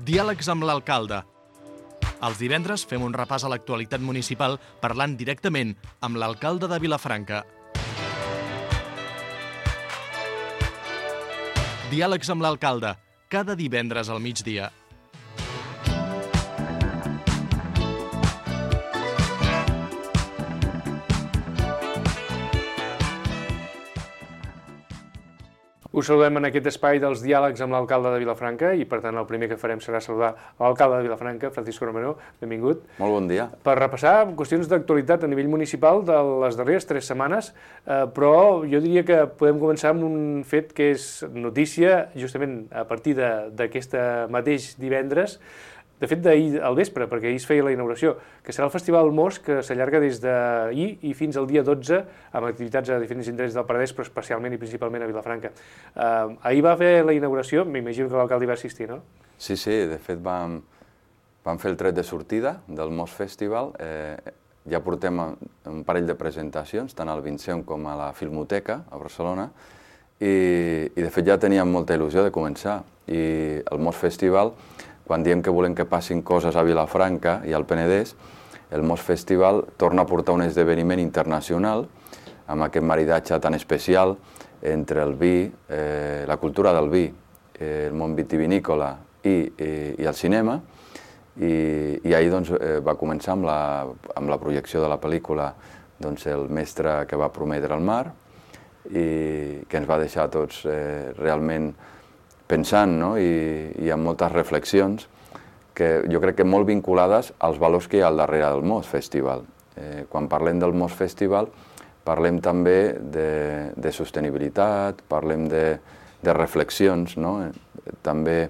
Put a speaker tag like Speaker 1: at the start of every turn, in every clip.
Speaker 1: Diàlegs amb l'alcalde. Els divendres fem un repàs a l'actualitat municipal parlant directament amb l'alcalde de Vilafranca. Diàlegs amb l'alcalde, cada divendres al migdia.
Speaker 2: Us saludem en aquest espai dels diàlegs amb l'alcalde de Vilafranca i, per tant, el primer que farem serà saludar l'alcalde de Vilafranca, Francisco Romero. Benvingut.
Speaker 3: Molt bon dia.
Speaker 2: Per repassar qüestions d'actualitat a nivell municipal de les darreres 3 setmanes, però jo diria que podem començar amb un fet que és notícia justament a partir d'aquest mateix divendres, de fet d'ahir al vespre, perquè ahir es feia la inauguració, que serà el Festival Most, que s'allarga des d'ahir i fins al dia 12, amb activitats a diferents indrets del Penedès, però especialment i principalment a Vilafranca. Ahir va fer la inauguració, m'imagino que l'alcalde hi va assistir, no?
Speaker 3: Sí, de fet vam fer el tret de sortida del Most Festival. Ja portem un parell de presentacions, tant al Vinceum com a la Filmoteca, a Barcelona, i de fet ja teníem molta il·lusió de començar. I el Most Festival, quan diem que volem que passin coses a Vilafranca i al Penedès, el Most Festival torna a portar un esdeveniment internacional amb aquest maridatge tan especial entre el vi, la cultura del vi, el món vitivinícola i el cinema. I ahir va començar amb la projecció de la pel·lícula El mestre que va prometre el mar, i que ens va deixar tots realment pensant, i amb moltes reflexions que jo crec que molt vinculades als valors que hi ha al darrere del Most Festival. Quan parlem del Most Festival parlem també de sostenibilitat, parlem de reflexions, també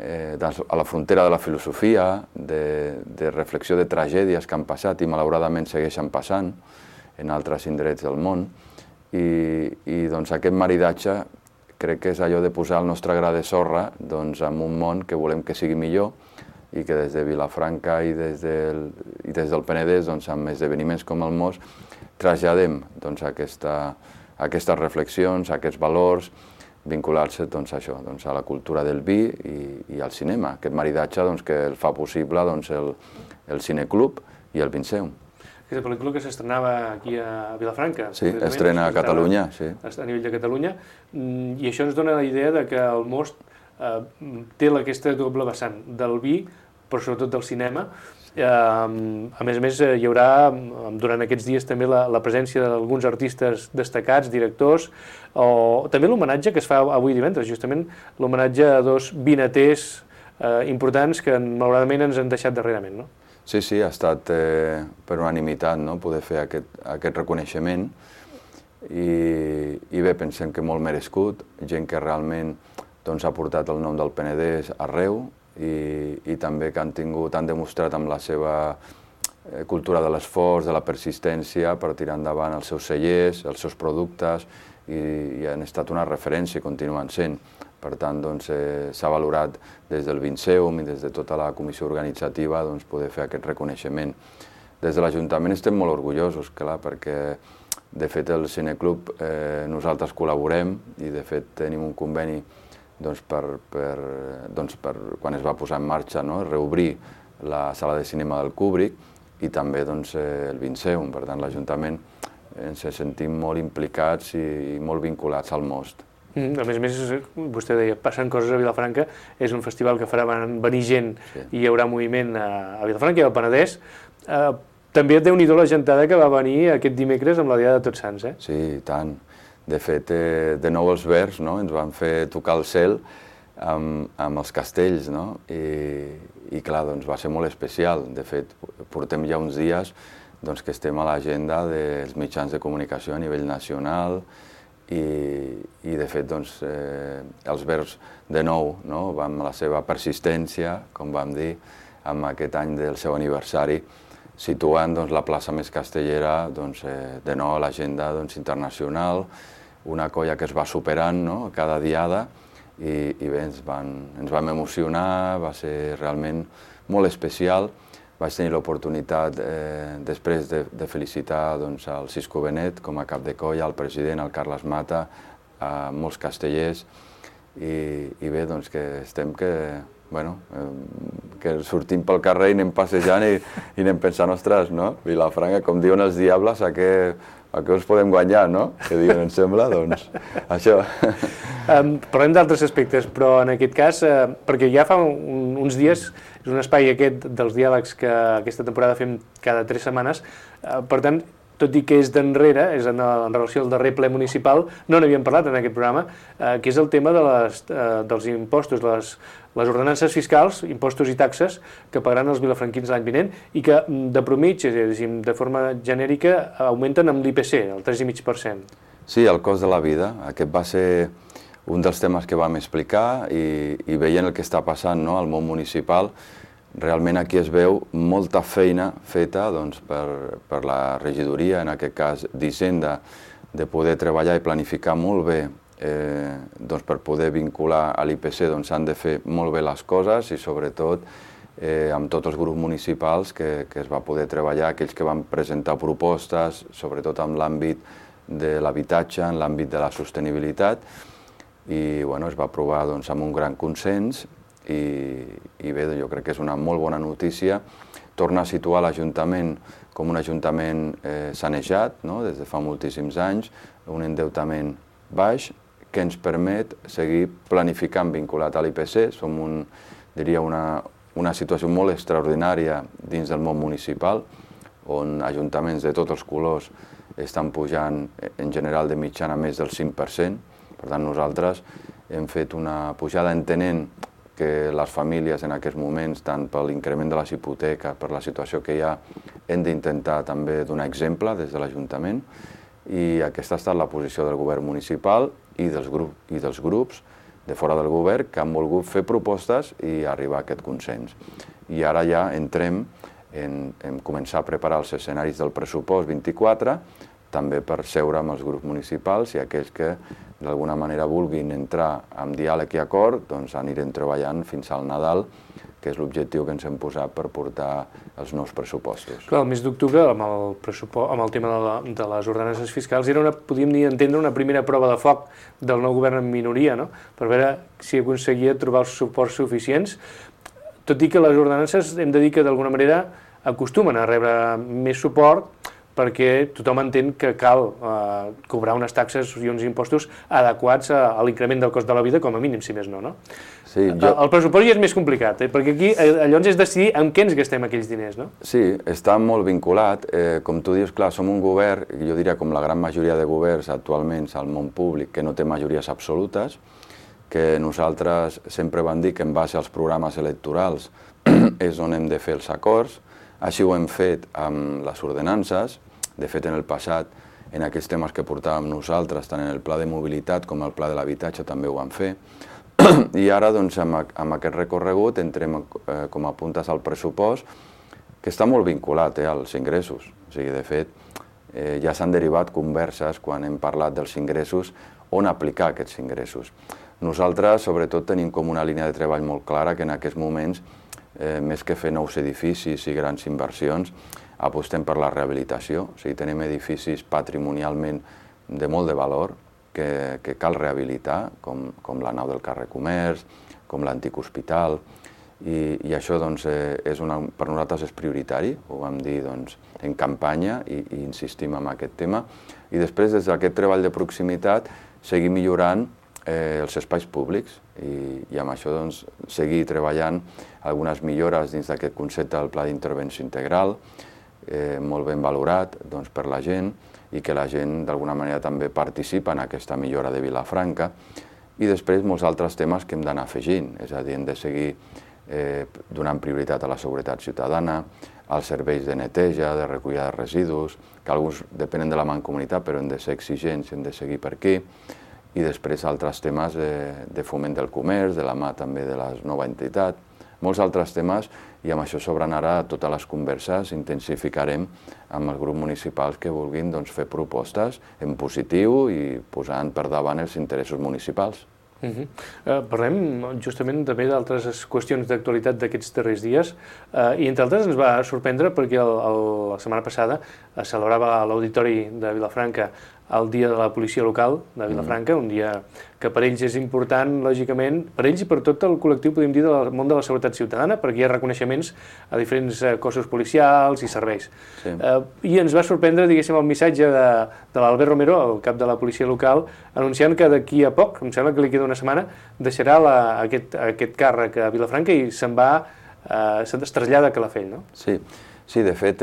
Speaker 3: a la frontera de la filosofia, de reflexió de tragèdies que han passat i malauradament segueixen passant en altres indrets del món. I aquest maridatge crec que és allò de posar el nostre gra de sorra en un món que volem que sigui millor i que des de Vilafranca i des del Penedès, amb esdeveniments com el Most, traslladem aquestes reflexions, aquests valors, vincular-se a la cultura del vi i al cinema. Aquest maridatge que el fa possible el Cineclub i el Vinceum.
Speaker 2: Aquesta pel·lícula que s'estrenava aquí a Vilafranca.
Speaker 3: Sí, estrena a Catalunya, sí.
Speaker 2: A nivell de Catalunya. I això ens dona la idea que el Most té aquesta doble vessant del vi, però sobretot del cinema. A més, hi haurà durant aquests dies també la presència d'alguns artistes destacats, directors, o també l'homenatge que es fa avui divendres, justament l'homenatge a 2 vinaters importants que malauradament ens han deixat darrerament, no?
Speaker 3: Sí, ha estat per unanimitat poder fer aquest reconeixement i bé, pensem que molt merescut, gent que realment ha portat el nom del Penedès arreu i també que han demostrat amb la seva cultura de l'esforç, de la persistència per tirar endavant els seus cellers, els seus productes i han estat una referència i continuen sent. Per tant, s'ha valorat des del Vinceum i des de tota la comissió organitzativa poder fer aquest reconeixement. Des de l'Ajuntament estem molt orgullosos, clar, perquè de fet el Cineclub nosaltres col·laborem i de fet tenim un conveni per quan es va posar en marxa reobrir la sala de cinema del Kubrick i també el Vinceum. Per tant, l'Ajuntament ens sentim molt implicats i molt vinculats al Most.
Speaker 2: A més, vostè deia, passen coses a Vilafranca, és un festival que farà venir gent i hi haurà moviment a Vilafranca i al Penedès. També déu-n'hi-do la gentada que va venir aquest dimecres amb la Diada de Tots Sants, eh?
Speaker 3: Sí, i tant. De fet, de nou els Verds ens van fer tocar el cel amb els castells, i clar, va ser molt especial. De fet, portem ja uns dies que estem a l'agenda dels mitjans de comunicació a nivell nacional i de fet els Verds de nou, amb la seva persistència, com vam dir, amb aquest any del seu aniversari, situant la plaça més castellera de nou a l'agenda internacional, una colla que es va superant cada diada i bé, ens vam emocionar, va ser realment molt especial. Vaig tenir l'oportunitat després de felicitar el Cisco Benet com a cap de colla, el president, el Carles Mata, molts castellers i bé, que estem que bueno, que sortim pel carrer i anem passejant i anem pensant, ostres, no? Vilafranca, com diuen els diables, a què us podem guanyar, no? Que diuen, em sembla, doncs, això.
Speaker 2: Parlem d'altres aspectes, però en aquest cas, perquè ja fa uns dies, és un espai aquest dels diàlegs que aquesta temporada fem cada 3 setmanes, per tant, tot i que és d'enrere, és en relació al darrer ple municipal, no n'havíem parlat en aquest programa, que és el tema dels impostos, les ordenances fiscals, impostos i taxes que pagaran els vilafranquins l'any vinent i que de promitja, de forma genèrica, augmenten amb l'IPC, el 3,5%.
Speaker 3: Sí, el cost de la vida. Aquest va ser un dels temes que vam explicar i veient el que està passant, no, al món municipal. Realment aquí es veu molta feina feta doncs, per la regidoria, en aquest cas d'Hisenda, de poder treballar i planificar molt bé doncs, per poder vincular a l'IPC s'han de fer molt bé les coses i sobretot amb tots els grups municipals que es va poder treballar, aquells que van presentar propostes, sobretot en l'àmbit de l'habitatge, en l'àmbit de la sostenibilitat, i bueno, es va aprovar doncs, amb un gran consens i bé, jo crec que és una molt bona notícia. Torna a situar l'Ajuntament com un ajuntament sanejat, no? Des de fa moltíssims anys, un endeutament baix que ens permet seguir planificant vinculat a l'IPC. Som diria una situació molt extraordinària dins del món municipal, on ajuntaments de tots els colors estan pujant en general de mitjana més del 5%. Per tant, nosaltres hem fet una pujada entenent que les famílies en aquests moments, tant per l'increment de les hipoteques, per la situació que hi ha, hem d'intentar també donar exemple des de l'Ajuntament, i aquesta ha estat la posició del govern municipal i dels grups de fora del govern que han volgut fer propostes i arribar a aquest consens. I ara ja entrem en començar a preparar els escenaris del pressupost 24, també per seure amb els grups municipals i aquells que d'alguna manera vulguin entrar en diàleg i acord, doncs anirem treballant fins al Nadal, que és l'objectiu que ens hem posat per portar els nous pressupostos.
Speaker 2: Clar, el mes d'octubre, amb el tema de les ordenances fiscals, era podríem entendre una primera prova de foc del nou govern en minoria, no? Per veure si aconseguia trobar els suports suficients, tot i que les ordenances hem de dir que d'alguna manera acostumen a rebre més suport perquè tothom entén que cal cobrar unes taxes i uns impostos adequats a l'increment del cost de la vida, com a mínim, si més no, no?
Speaker 3: Sí,
Speaker 2: El pressupost ja és més complicat, perquè aquí llavors és decidir en què ens gastem aquells diners, no?
Speaker 3: Sí, està molt vinculat. Com tu dius, clar, som un govern, jo diria com la gran majoria de governs actualment al món públic, que no té majories absolutes, que nosaltres sempre vam dir que en base als programes electorals és on hem de fer els acords. Així ho hem fet amb les ordenances. De fet, en el passat, en aquests temes que portàvem nosaltres, tant en el pla de mobilitat com el pla de l'habitatge, també ho vam fer. I ara, doncs, amb aquest recorregut, entrem com a puntes al pressupost, que està molt vinculat als ingressos. O sigui, de fet, ja s'han derivat converses, quan hem parlat dels ingressos, on aplicar aquests ingressos. Nosaltres, sobretot, tenim com una línia de treball molt clara que en aquests moments, més que fer nous edificis i grans inversions, apostem per la rehabilitació. O sigui, tenim edificis patrimonialment de molt de valor que cal rehabilitar, com la nau del carrer Comerç, com l'antic hospital, i això doncs, per nosaltres és prioritari, ho vam dir doncs, en campanya i insistim en aquest tema. I després, des d'aquest treball de proximitat, seguir millorant els espais públics i amb això doncs, seguir treballant algunes millores dins d'aquest concepte del pla d'intervenció integral, molt ben valorat doncs, per la gent i que la gent d'alguna manera també participa en aquesta millora de Vilafranca. I després molts altres temes que hem d'anar afegint, és a dir, hem de seguir donant prioritat a la seguretat ciutadana, als serveis de neteja, de recollida de residus, que alguns depenen de la mancomunitat però hem de ser exigents i hem de seguir per aquí. I després altres temes de foment del comerç, de la mà també de la nova entitat, molts altres temes, i amb això s'obren ara totes les converses, intensificarem amb els grups municipals que vulguin doncs, fer propostes en positiu i posant per davant els interessos municipals.
Speaker 2: Parlem justament també d'altres qüestions d'actualitat d'aquests darrers dies i entre altres ens va sorprendre perquè la setmana passada es celebrava a l'Auditori de Vilafranca el dia de la policia local de Vilafranca, un dia que per ells és important, lògicament, per ells i per tot el col·lectiu, podem dir, del món de la seguretat ciutadana, perquè hi ha reconeixements a diferents cossos policials i serveis. Sí. I ens va sorprendre, diguéssim, el missatge de l'Albert Romero, el cap de la policia local, anunciant que d'aquí a poc, em sembla que li queda una setmana, deixarà aquest càrrec a Vilafranca i es trasllada a Calafell, no?
Speaker 3: Sí, de fet,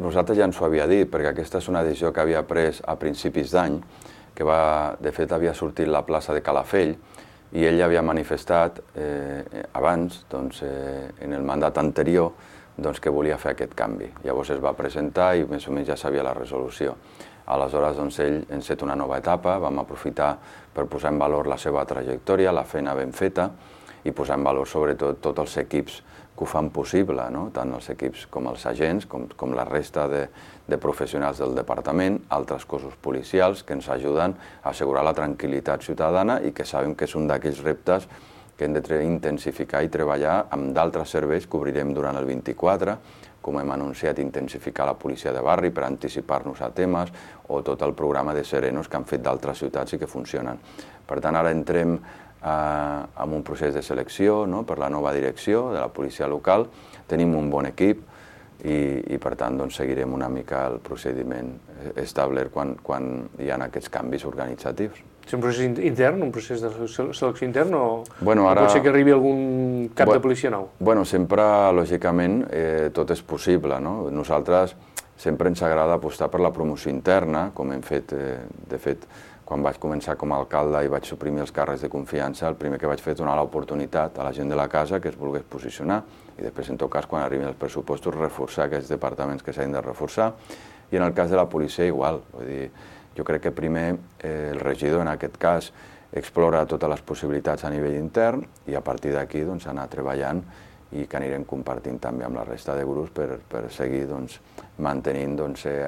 Speaker 3: nosaltres ja ens ho havia dit, perquè aquesta és una decisió que havia pres a principis d'any, que de fet havia sortit la plaça de Calafell, i ell havia manifestat abans, en el mandat anterior, que volia fer aquest canvi. Llavors es va presentar i més o menys ja sabia la resolució. Aleshores, ell enceta una nova etapa, vam aprofitar per posar en valor la seva trajectòria, la feina ben feta, i posar en valor sobretot tots els equips que ho fan possible, tant els equips com els agents, com la resta de professionals del departament, altres cossos policials que ens ajuden a assegurar la tranquil·litat ciutadana i que sabem que és un d'aquells reptes que hem d'intensificar i treballar amb d'altres serveis que obrirem durant el 24, com hem anunciat, intensificar la policia de barri per anticipar-nos a temes, o tot el programa de Serenos que han fet d'altres ciutats i que funcionen. Per tant, ara entrem amb un procés de selecció per la nova direcció de la policia local. Tenim un bon equip i per tant, seguirem una mica el procediment establert quan hi ha aquests canvis organitzatius.
Speaker 2: És un procés intern, un procés de selecció intern, o pot ser que arribi algun cap de policia nou?
Speaker 3: Sempre, lògicament, tot és possible. Nosaltres sempre ens agrada apostar per la promoció interna, com hem fet, de fet, quan vaig començar com a alcalde i vaig suprimir els càrrecs de confiança, el primer que vaig fer és donar l'oportunitat a la gent de la casa que es volgués posicionar i després, en tot cas, quan arribin els pressupostos, reforçar aquests departaments que s'han de reforçar. I en el cas de la policia, igual. Vull dir, jo crec que primer el regidor, en aquest cas, explora totes les possibilitats a nivell intern i a partir d'aquí anar treballant i que anirem compartint també amb la resta de grups per seguir mantenint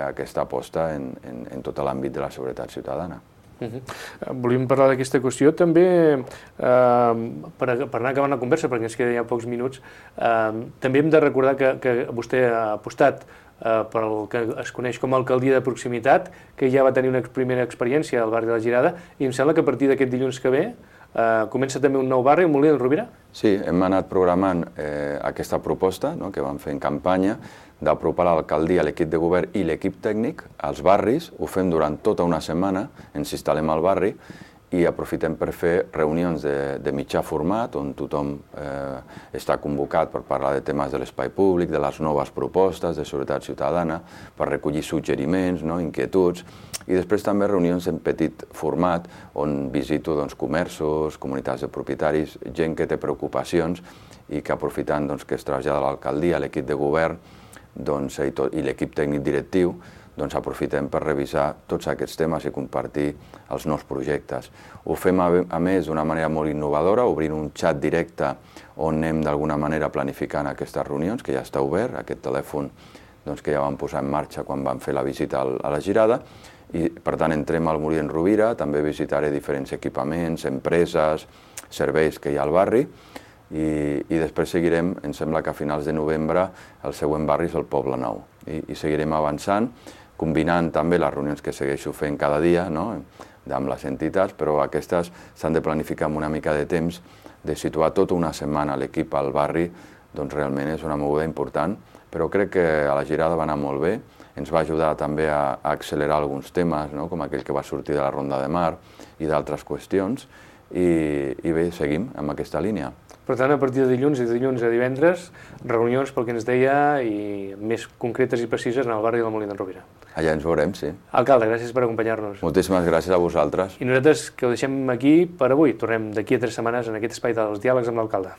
Speaker 3: aquesta aposta en tot l'àmbit de la seguretat ciutadana.
Speaker 2: Volíem parlar d'aquesta qüestió també, per anar acabant la conversa, perquè ens queden ja pocs minuts, també hem de recordar que vostè ha apostat per el que es coneix com a alcaldia de proximitat, que ja va tenir una primera experiència al barri de la Girada, i em sembla que a partir d'aquest dilluns que ve comença també un nou barri, el Molí d'en Rovira?
Speaker 3: Sí, hem anat programant aquesta proposta que vam fer en campanya d'apropar l'alcaldia, l'equip de govern i l'equip tècnic als barris. Ho fem durant tota una setmana, ens instal·lem al barri i aprofitem per fer reunions de mitjà format on tothom està convocat per parlar de temes de l'espai públic, de les noves propostes de seguretat ciutadana, per recollir suggeriments, inquietuds, i després també reunions en petit format on visito comerços, comunitats de propietaris, gent que té preocupacions i que aprofitant que es trasllada a l'alcaldia, a l'equip de govern i l'equip tècnic directiu, aprofitem per revisar tots aquests temes i compartir els nous projectes. Ho fem, a més, d'una manera molt innovadora, obrint un xat directe on anem d'alguna manera planificant aquestes reunions, que ja està obert, aquest telèfon que ja vam posar en marxa quan vam fer la visita a la Girada, i per tant entrem al Molí d'en Rovira, també visitaré diferents equipaments, empreses, serveis que hi ha al barri, i després seguirem, em sembla que a finals de novembre el següent barri és el Poble Nou, i seguirem avançant, combinant també les reunions que segueixo fent cada dia amb les entitats, però aquestes s'han de planificar amb una mica de temps, de situar tota una setmana l'equip al barri, realment és una moguda important, però crec que a la Girada va anar molt bé, ens va ajudar també a accelerar alguns temes, com aquell que va sortir de la Ronda de Mar i d'altres qüestions, i bé, seguim amb aquesta línia.
Speaker 2: Per tant, a partir de dilluns a divendres, reunions, pel que ens deia, i més concretes i precises en el barri del Molí d'en Rovira.
Speaker 3: Allà ens veurem, sí.
Speaker 2: Alcalde, gràcies per acompanyar-nos.
Speaker 3: Moltíssimes gràcies a vosaltres.
Speaker 2: I nosaltres que ho deixem aquí per avui. Tornem d'aquí a 3 setmanes en aquest espai dels diàlegs amb l'alcalde.